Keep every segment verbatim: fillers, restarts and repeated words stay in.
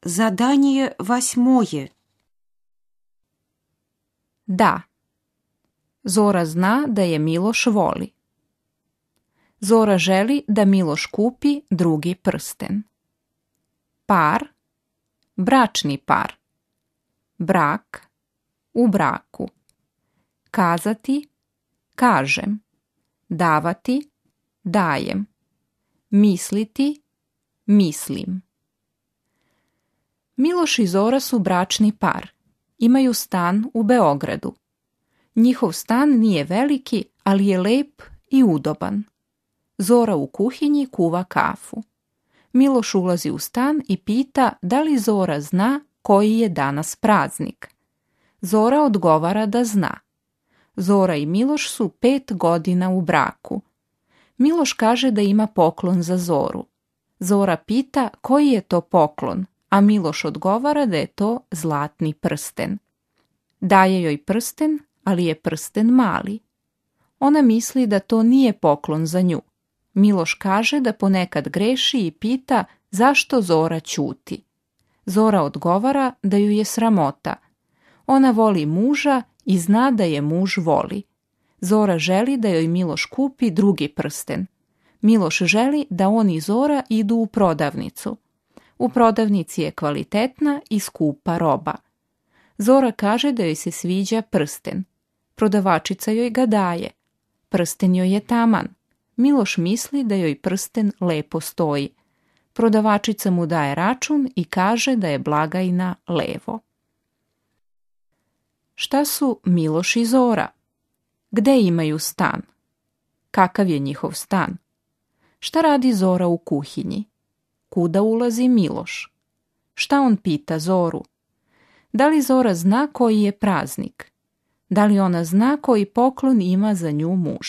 Задание восьмое. Da. Zora zna da je Miloš voli. Zora želi da Miloš kupi drugi prsten. Par, bračni par. Brak, u braku. Kazati, kažem. Davati, dajem. Misliti, mislim. Miloš i Zora su bračni par. Imaju stan u Beogradu. Njihov stan nije veliki, ali je lep i udoban. Zora u kuhinji kuva kafu. Miloš ulazi u stan i pita da li Zora zna koji je danas praznik. Zora odgovara da zna. Zora i Miloš su pet godina u braku. Miloš kaže da ima poklon za Zoru. Zora pita koji je to poklon, a Miloš odgovara da je to zlatni prsten. Daje joj prsten, ali je prsten mali. Ona misli da to nije poklon za nju. Miloš kaže da ponekad greši i pita zašto Zora ćuti. Zora odgovara da ju je sramota. Ona voli muža i zna da je muž voli. Zora želi da joj Miloš kupi drugi prsten. Miloš želi da on i Zora idu u prodavnicu. U prodavnici je kvalitetna i skupa roba. Zora kaže da joj se sviđa prsten. Prodavačica joj ga daje. Prsten joj je taman. Miloš misli da joj prsten lepo stoji. Prodavačica mu daje račun i kaže da je blagajna levo. Šta su Miloš i Zora? Gde imaju stan? Kakav je njihov stan? Šta radi Zora u kuhinji? Kuda ulazi Miloš? Šta on pita Zoru? Da li Zora zna koji je praznik? Da li ona zna koji poklon ima za nju muž?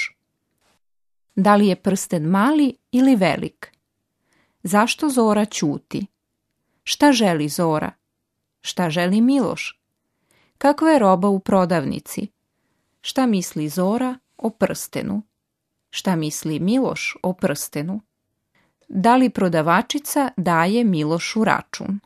Da li je prsten mali ili velik? Zašto Zora ćuti? Šta želi Zora? Šta želi Miloš? Kakva je roba u prodavnici? Šta misli Zora o prstenu? Šta misli Miloš o prstenu? Da li prodavačica daje Milošu račun?